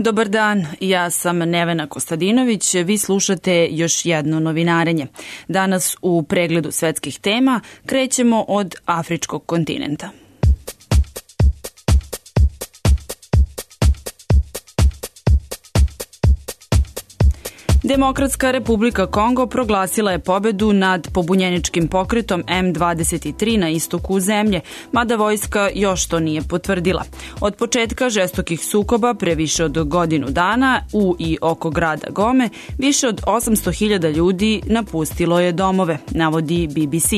Dobar dan, ja sam Nevena Kostadinović, vi slušate još jedno novinarenje. Danas u pregledu svetskih tema krećemo od afričkog kontinenta. Demokratska republika Kongo proglasila je pobedu nad pobunjeničkim pokretom M23 na istoku zemlje, mada vojska još to nije potvrdila. Od početka žestokih sukoba pre više od godinu dana u i oko grada Gome više od 800.000 ljudi napustilo je domove, navodi BBC.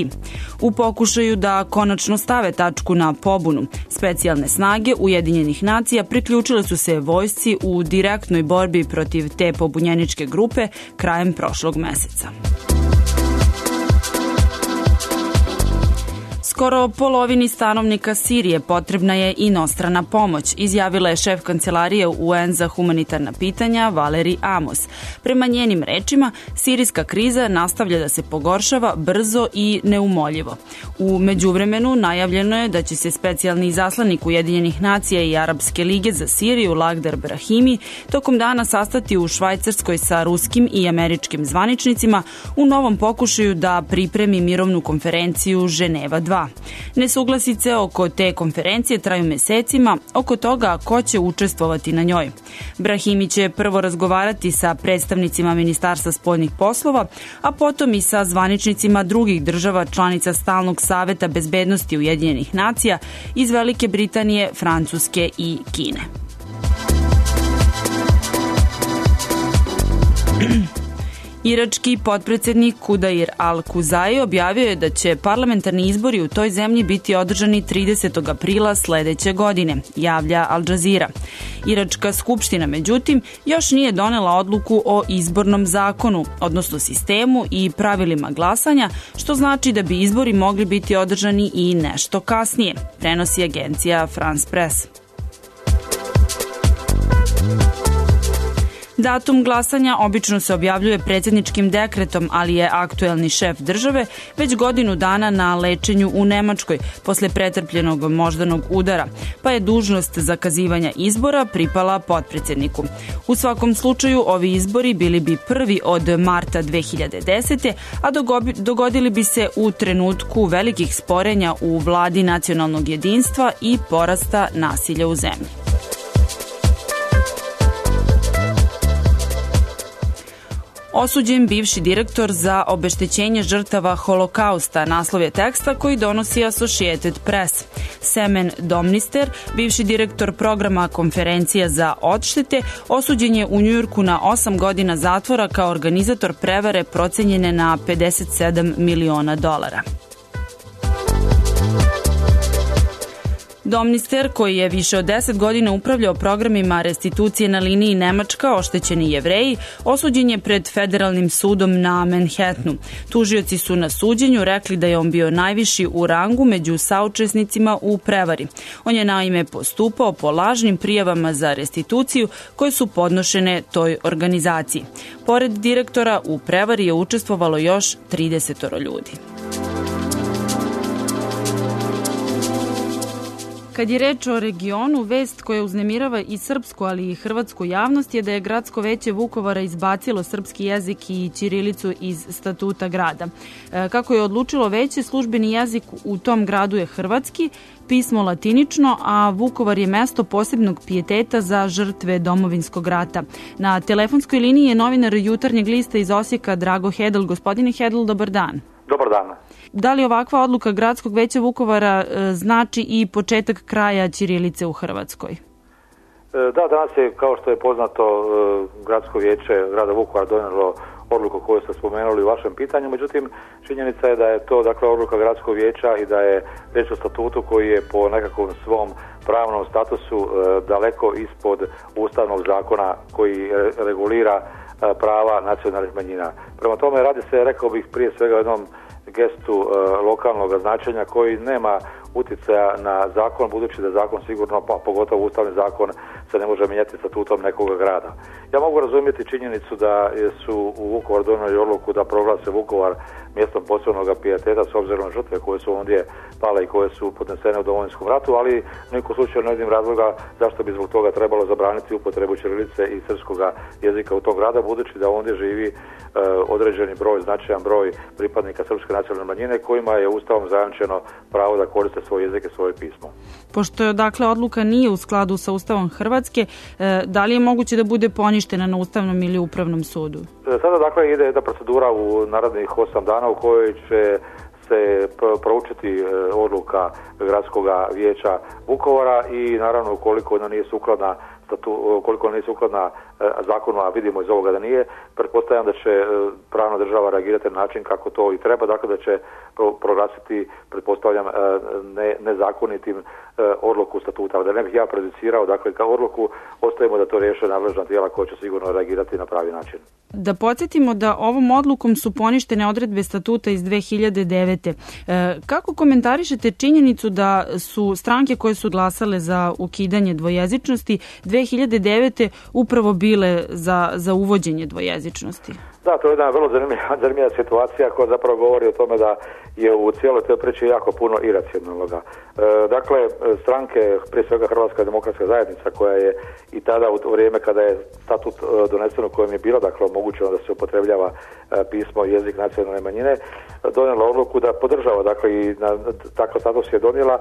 U pokušaju da konačno stave tačku na pobunu, specijalne snage Ujedinjenih nacija priključile su se vojsci u direktnoj borbi protiv te pobunjeničke grupe krajem prošlog meseca. Skoro polovini stanovnika Sirije potrebna je inostrana pomoć, izjavila je šef kancelarije UN za humanitarna pitanja Valeri Amos. Prema njenim rečima, sirijska kriza nastavlja da se pogoršava brzo i neumoljivo. U međuvremenu najavljeno je da će se specijalni izaslanik Ujedinjenih nacija i Arapske lige za Siriju Lagdar Brahimi tokom dana sastati u Švajcarskoj sa ruskim i američkim zvaničnicima u novom pokušaju da pripremi mirovnu konferenciju Ženeva 2. Nesuglasice oko te konferencije traju mesecima oko toga ko će učestvovati na njoj. Brahimi će prvo razgovarati sa predstavnicima Ministarstva spoljnih poslova, a potom i sa zvaničnicima drugih država članica Stalnog saveta bezbednosti Ujedinjenih nacija iz Velike Britanije, Francuske i Kine. Irački potpredsednik Kudair al-Kuzai objavio je da će parlamentarni izbori u toj zemlji biti održani 30. aprila sledeće godine, javlja Al Jazeera. Iračka skupština, međutim, još nije donela odluku o izbornom zakonu, odnosno sistemu i pravilima glasanja, što znači da bi izbori mogli biti održani i nešto kasnije, prenosi agencija France Press. Datum glasanja obično se objavljuje predsjedničkim dekretom, ali je aktuelni šef države već godinu dana na lečenju u Nemačkoj posle pretrpljenog moždanog udara, pa je dužnost zakazivanja izbora pripala potpredsjedniku. U svakom slučaju, ovi izbori bili bi prvi od marta 2010. a dogodili bi se u trenutku velikih sporenja u vladi nacionalnog jedinstva i porasta nasilja u zemlji. Osuđen bivši direktor za obeštećenje žrtava Holokausta, naslov je teksta koji donosi Associated Press. Semen Domnister, bivši direktor programa Konferencija za odštete, osuđen je u Njujorku na 8 godina zatvora kao organizator prevare procenjene na $57 miliona. Domnister, koji je više od 10 godina upravljao programima restitucije na liniji Nemačka oštećeni Jevreji, osuđen je pred federalnim sudom na Manhattanu. Tužioci su na suđenju rekli da je on bio najviši u rangu među saučesnicima u prevari. On je naime postupao po lažnim prijavama za restituciju koje su podnošene toj organizaciji. Pored direktora, u prevari je učestvovalo još 30 ljudi. Kad je reč o regionu, vest koja uznemirava i srpsku, ali i hrvatsku javnost je da je gradsko veće Vukovara izbacilo srpski jezik i ćirilicu iz statuta grada. Kako je odlučilo veće, službeni jezik u tom gradu je hrvatski, pismo latinično, a Vukovar je mesto posebnog pijeteta za žrtve Domovinskog rata. Na telefonskoj liniji je novinar Jutarnjeg lista iz Osijeka Drago Hedl. Gospodine Hedl, dobar dan. Dobar dan. Da li ovakva odluka Gradskog veća Vukovara znači i početak kraja ćirilice u Hrvatskoj? Da, danas je, kao što je poznato, Gradsko vijeće grada Vukovara donijelo odluku koju ste spomenuli u vašem pitanju, međutim, činjenica je da je to odluka Gradskog vijeća i da je riječ o statutu koji je po nekakvom svom pravnom statusu daleko ispod ustavnog zakona koji regulira prava nacionalnih manjina. Prema tome, radi se, rekao bih, prije svega o jednom gestu lokalnog značenja koji nema utjecaja na zakon, budući da zakon sigurno, pa pogotovo ustavni zakon, se ne može mijenjati statutom nekog grada. Ja mogu razumjeti činjenicu da su u Vukovar donijeli odluku da proglase Vukovar mjestom posebnog pijeteta s obzirom na žrtve koje su ondje pale i koje su podnesene u Domovinskom ratu, ali u nekom slučaju ne vidim razloga zašto bi zbog toga trebalo zabraniti upotrebu ćirilice i srpskoga jezika u tom grada, budući da ondje živi određeni broj, značajan broj pripadnika srpske nacionalne manjine kojima je Ustavom zajamčeno pravo da koriste svoj jezik i svoje pismo. Pošto dakle odluka nije u skladu sa Ustavom Hrvatske, da li je moguće da bude poništena na Ustavnom ili Upravnom sudu? Sada dakle ide jedna procedura u narednih 8 dana u kojoj će se proučiti odluka Gradskog vijeća Vukovara i naravno ukoliko ona nije sukladna zakonu, a vidimo iz ovoga da nije, pretpostavljam da će pravna država reagirati na način kako to i treba, dakle da će proglasiti, pretpostavljam, nezakonitim odluku statuta. Da ne bih ja prejudicirao, dakle kao odluku, ostavimo da to riješe nadležna tijela koja će sigurno reagirati na pravi način. Da podsjetimo da ovom odlukom su poništene odredbe statuta iz 2009. Kako komentarišete činjenicu da su stranke koje su glasale za ukidanje dvojezičnosti 2009. upravo bile za uvođenje dvojezičnosti? Da, to je jedna vrlo zanimljiva situacija koja zapravo govori o tome da je u cijeloj toj priči jako puno iracionalnoga. Dakle, stranke, prije svega Hrvatska demokratska zajednica, koja je i tada u vrijeme kada je statut donesen u kojem je bilo dakle omogućeno da se upotrebljava pismo i jezik nacionalne manjine, donijela odluku da podržava, dakle i takav status je donijela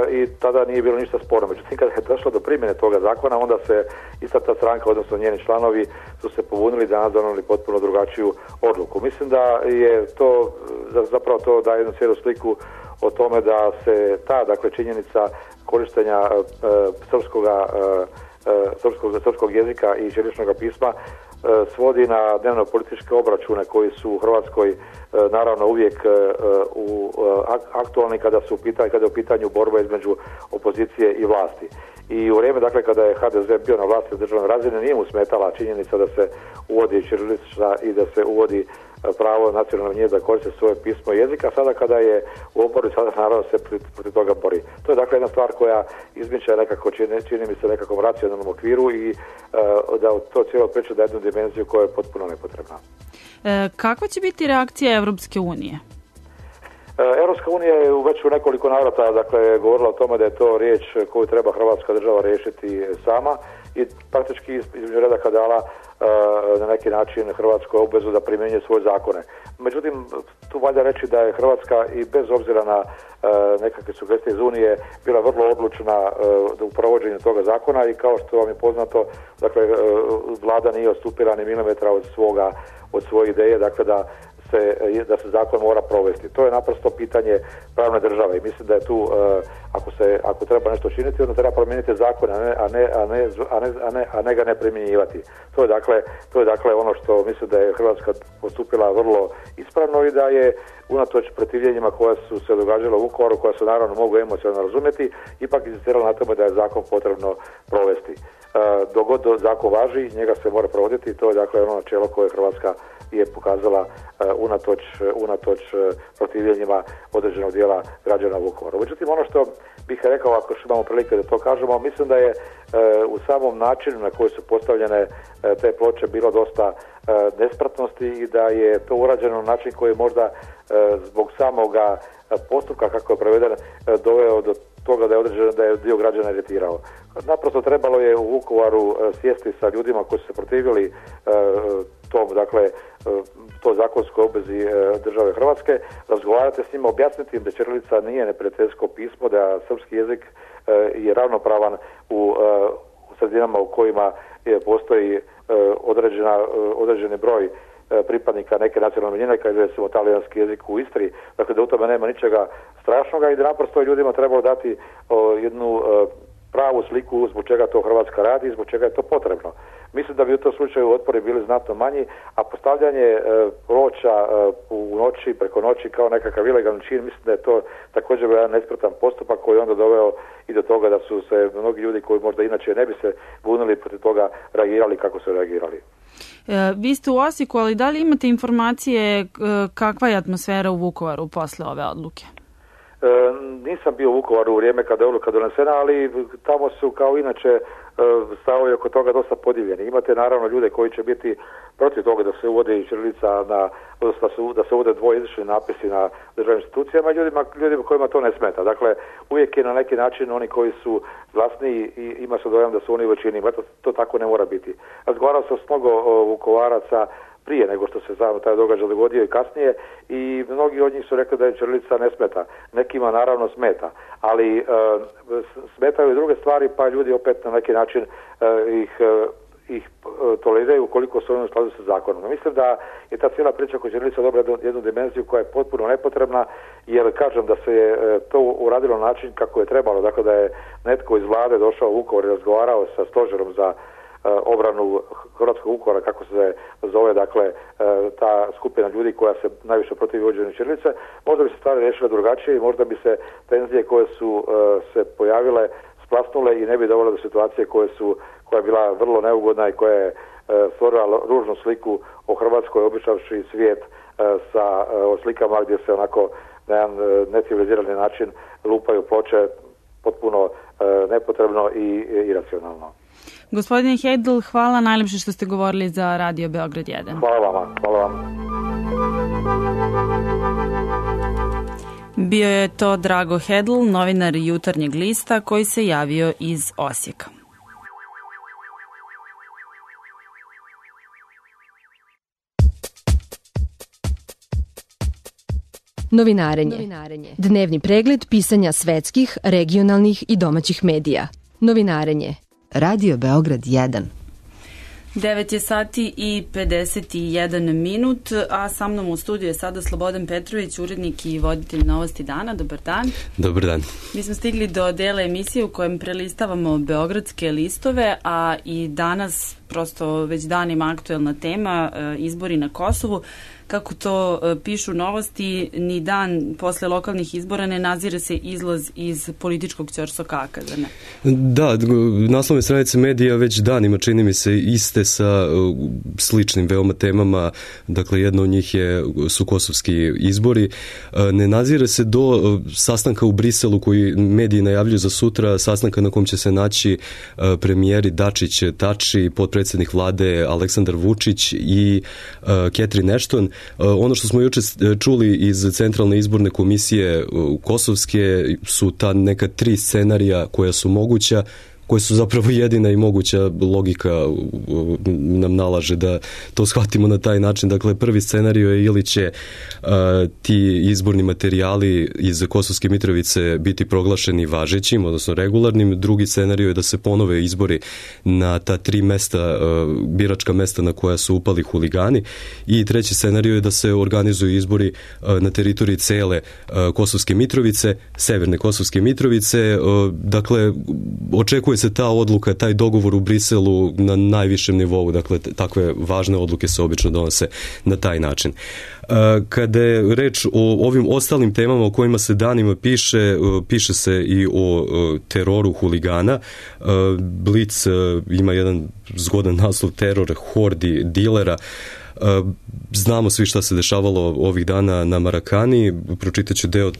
i tada nije bilo ništa sporno. Međutim, kada je došlo do primjene toga zakona, onda se ista ta stranka, odnosno njeni članovi, su se pobunili da donijeli potpuno drugačiju odluku. Mislim da je to, zapravo to daje jednu cijelu sliku o tome da se ta, dakle, činjenica korištenja srpskog jezika i ćiriličnog pisma svodi na dnevno političke obračune koji su u Hrvatskoj naravno uvijek aktualni kada je u pitanju borba između opozicije i vlasti. I u vrijeme, dakle, kada je HDZ bio na vlasti u državnoj razini, nije mu smetala činjenica da se uvodi ćirilica i da se uvodi pravo nacionalne manjine da koriste svoje pismo i jezik, a sada kada je u oporbi, sada naravno se protiv toga bori. To je dakle jedna stvar koja izmiče nekako, čini mi se, nekakvom racionalnom okviru i da to cijelo priča da jednu dimenziju koja je potpuno nepotrebna. Kakva će biti reakcija Evropske unije? Europska unija je već u nekoliko navrata, dakle, govorila o tome da je to riječ koju treba Hrvatska država riješiti sama i praktički između redaka dala na neki način Hrvatskoj obvezu da primjenjuje svoje zakone. Međutim, tu valja reći da je Hrvatska i bez obzira na nekakve sugestije iz Unije bila vrlo odlučna u provođenju toga zakona i kao što vam je poznato, dakle, vlada nije odstupila ni milimetra od svoje ideje, dakle da se zakon mora provesti. To je naprosto pitanje pravne države i mislim da je tu, ako treba nešto činiti, onda treba promijeniti zakon, a ne ga ne primjenjivati. To je dakle ono što mislim da je Hrvatska postupila vrlo ispravno i da je unatoč protivljenjima koja su se događala u Vukovaru, koja se naravno mogu emocionalno razumjeti, ipak insistirala na tome da je zakon potrebno provesti. Dok god zakon važi, njega se mora provoditi i to je dakle ono načelo koje Hrvatska je pokazala unatoč protivljenjima određenog dijela građana Vukovara. Međutim, ono što bih rekao, ako što imamo prilike da to kažemo, mislim da je u samom načinu na koji su postavljene te ploče bilo dosta nespratnosti i da je to urađeno na način koji možda zbog samoga postupka kako je proveden doveo do toga da je dio građana iritirao. Naprosto trebalo je u Vukovaru sjesti sa ljudima koji su se protivili to zakonskoj obvezi države Hrvatske, razgovarati s njima, objasniti im da ćirilica nije neprijateljsko pismo, da srpski jezik je ravnopravan u sredinama u kojima postoji određeni broj pripadnika neke nacionalne manjine, kao je recimo talijanski jezik u Istri, dakle da u tome nema ničega strašnoga i da naprosto ljudima trebalo dati jednu pravu sliku zbog čega to Hrvatska radi i zbog čega je to potrebno. Mislim da bi u tom slučaju otpori bili znatno manji, a postavljanje ploča u noći, preko noći kao nekakav ilegalni čin, mislim da je to također jedan nespretan postupak koji je onda doveo i do toga da su se mnogi ljudi koji možda inače ne bi se bunili protiv toga reagirali kako su reagirali. Vi ste u Osijeku, ali da li imate informacije kakva je atmosfera u Vukovaru posle ove odluke? Nisam bio u Vukovaru u vrijeme kada je odluka donesena, ali tamo su kao inače stavovi oko toga dosta podijeljeni. Imate naravno ljude koji će biti protiv toga da se uvode i ćirilica da se uvode dvojezični napisi na državnim institucijama i ljudima kojima to ne smeta. Dakle, uvijek je na neki način oni koji su glasniji i ima se dojam da su oni u većini. To tako ne mora biti. Razgovarao sam s mnogo Vukovaraca prije nego što se taj događaj dogodio i kasnije i mnogi od njih su rekli da je ćirilica ne smeta. Nekima naravno smeta, ali smetaju i druge stvari, pa ljudi opet na neki način ih toleriraju ukoliko su oni u skladu sa zakonom. Mislim da je ta cijela priča oko ćirilice dobila jednu dimenziju koja je potpuno nepotrebna, jer kažem da se je to uradilo na način kako je trebalo, dakle da je netko iz vlade došao u Vukovar i razgovarao sa stožerom za obranu hrvatskog Vukovara, kako se zove, dakle, ta skupina ljudi koja se najviše protivi uvođenju ćirilice, možda bi se stvari riješile drugačije i možda bi se tenzije koje su se pojavile splasnule i ne bi dovele do situacije koja je bila vrlo neugodna i koja je stvorila ružnu sliku o Hrvatskoj, obišavši svijet sa slikama gdje se onako na jedan necivilizirani način lupaju ploče potpuno nepotrebno i iracionalno. Gospodine Hedl, hvala najlepše što ste govorili za Radio Beograd 1. Hvala vama. Hvala vam. Bio je to Drago Hedl, novinar Jutarnjeg lista koji se javio iz Osijeka. Novinarenje. Dnevni pregled pisanja svetskih, regionalnih i domaćih medija. Novinarenje. Radio Beograd 1. 9 je sati i 51 minut, a sa mnom u studiju je sada Slobodan Petrović, urednik i voditelj Novosti dana. Dobar dan. Dobar dan. Mi smo stigli do dela emisije u kojem prelistavamo beogradske listove, a i danas prosto već danima aktuelna tema, izbori na Kosovu. Kako to pišu Novosti, ni dan posle lokalnih izbora ne nazire se izlaz iz političkog ćorsokaka, zar ne? Da, naslovne stranice medija već danima čini mi se iste sa sličnim veoma temama. Dakle, jedna od njih su kosovski izbori. Ne nazire se do sastanka u Briselu koji mediji najavljuju za sutra, sastanka na kom će se naći premijeri Dačić, Tači, potpredsjednik vlade Aleksandar Vučić i Catherine Ashton. Ono što smo juče čuli iz Centralne izborne komisije kosovske su ta neka 3 scenarija koja su moguća, koje su zapravo jedina i moguća logika nam nalaže da to shvatimo na taj način. Dakle, prvi scenario je ili će ti izborni materijali iz Kosovske Mitrovice biti proglašeni važećim, odnosno regularnim. Drugi scenario je da se ponove izbori na ta 3 mesta, biračka mesta na koja su upali huligani. I treći scenario je da se organizuju izbori na teritoriji cele Kosovske Mitrovice, severne Kosovske Mitrovice. Dakle, očekuje se ta odluka, taj dogovor u Briselu na najvišem nivou, dakle takve važne odluke se obično donose na taj način. Kada je reč o ovim ostalim temama o kojima se danima piše se i o teroru huligana. Blic ima jedan zgodan naslov teror hordi dilera. Znamo svi šta se dešavalo ovih dana na Marakani, pročitat ću deo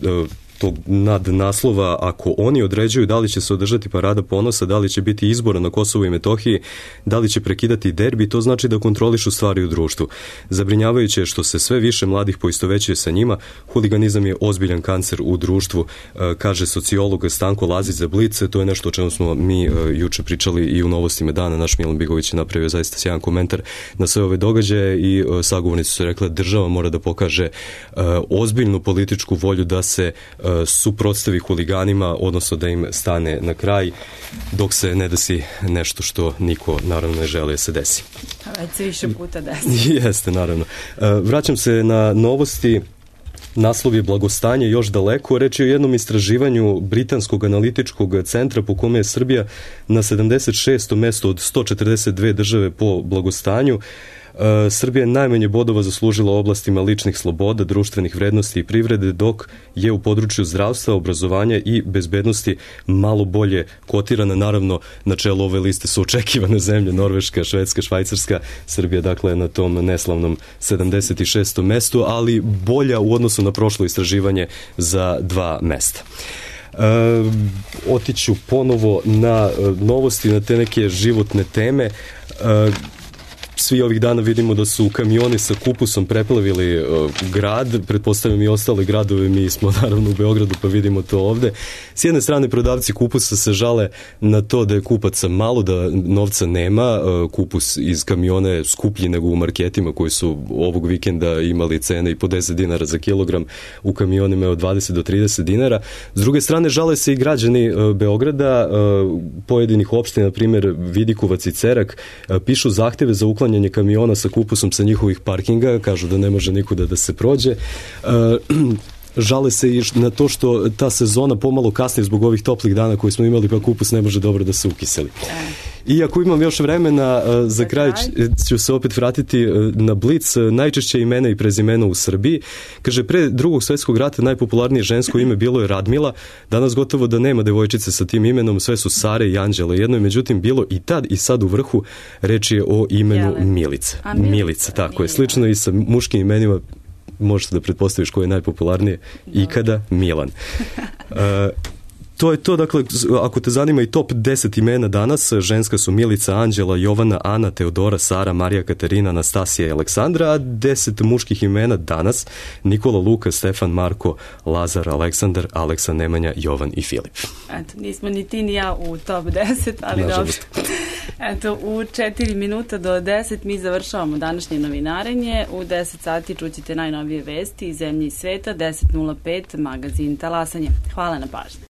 tog nadnaslova. Ako oni određuju da li će se održati parada ponosa, da li će biti izbora na Kosovu i Metohiji, da li će prekidati derbi, to znači da kontrolišu stvari u društvu. Zabrinjavajuće je što se sve više mladih poistovećuje sa njima. Huliganizam je ozbiljan kancer u društvu, kaže sociolog Stanko Lazić za Blic. To je nešto o čemu smo mi juče pričali i u Novostima dana. Naš Milan Bigović je napravio zaista sjajan komentar na sve ove događaje i sagovornici su rekli da država mora da pokaže ozbiljnu političku volju da se suprotstavi huliganima, odnosno da im stane na kraj dok se ne desi nešto što niko naravno ne želi da se desi. Već se više puta desi. Jeste, naravno. Vraćam se na Novosti. Naslov je blagostanje još daleko. Reč je o jednom istraživanju Britanskog analitičkog centra po kome je Srbija na 76. mesto od 142 države po blagostanju. Srbija je najmanje bodova zaslužila u oblastima ličnih sloboda, društvenih vrednosti i privrede, dok je u području zdravstva, obrazovanja i bezbednosti malo bolje kotirana. Naravno, na čelu ove liste su očekivane zemlje Norveška, Švedska, Švajcarska. Srbija dakle na tom neslavnom 76. mestu, ali bolja u odnosu na prošlo istraživanje za 2 mesta. Otiću ponovo na novosti, na te neke životne teme. Svi ovih dana vidimo da su kamioni sa kupusom preplavili grad, pretpostavljam i ostale gradove, mi smo naravno u Beogradu pa vidimo to ovde. S jedne strane prodavci kupusa se žale na to da je kupaca malo, da novca nema, kupus iz kamiona je skuplji nego u marketima koji su ovog vikenda imali cene i po 10 dinara za kilogram, u kamionima je od 20 do 30 dinara. S druge strane žale se i građani Beograda, pojedinih opština, na primjer Vidikovac i Cerak, pišu zahteve za uklanjanje kamiona sa kupusom sa njihovih parkinga, kažu da ne može nikuda da se prođe. Žale se i na to što ta sezona pomalo kasni zbog ovih toplih dana koje smo imali, pa kupus ne može dobro da se ukiseli. I ako imam još vremena, za kraj ću se opet vratiti na Blic, najčešće imena i prezimena u Srbiji. Kaže, pre Drugog svjetskog rata najpopularnije žensko ime bilo je Radmila, danas gotovo da nema devojčice sa tim imenom, sve su Sare i Anđele. Jedno je međutim bilo i tad i sad u vrhu, reč je o imenu Milica. Milica, tako je. Slično i sa muškim imenima, možete da pretpostaviš koje je najpopularnije ikada, Milan. To je to, dakle, ako te zanima i top 10 imena danas, ženska su Milica, Anđela, Jovana, Ana, Teodora, Sara, Marija, Katarina, Anastasija i Aleksandra, a 10 muških imena danas, Nikola, Luka, Stefan, Marko, Lazar, Aleksandar, Aleksa, Nemanja, Jovan i Filip. Eto, nismo ni ti ni ja u top 10, ali dobro. Eto, u 4 minuta do 10 mi završavamo današnje novinarenje. U 10 sati čućete najnovije vesti iz zemlje i sveta, 10.05 magazin Talasanje. Hvala na pažnji.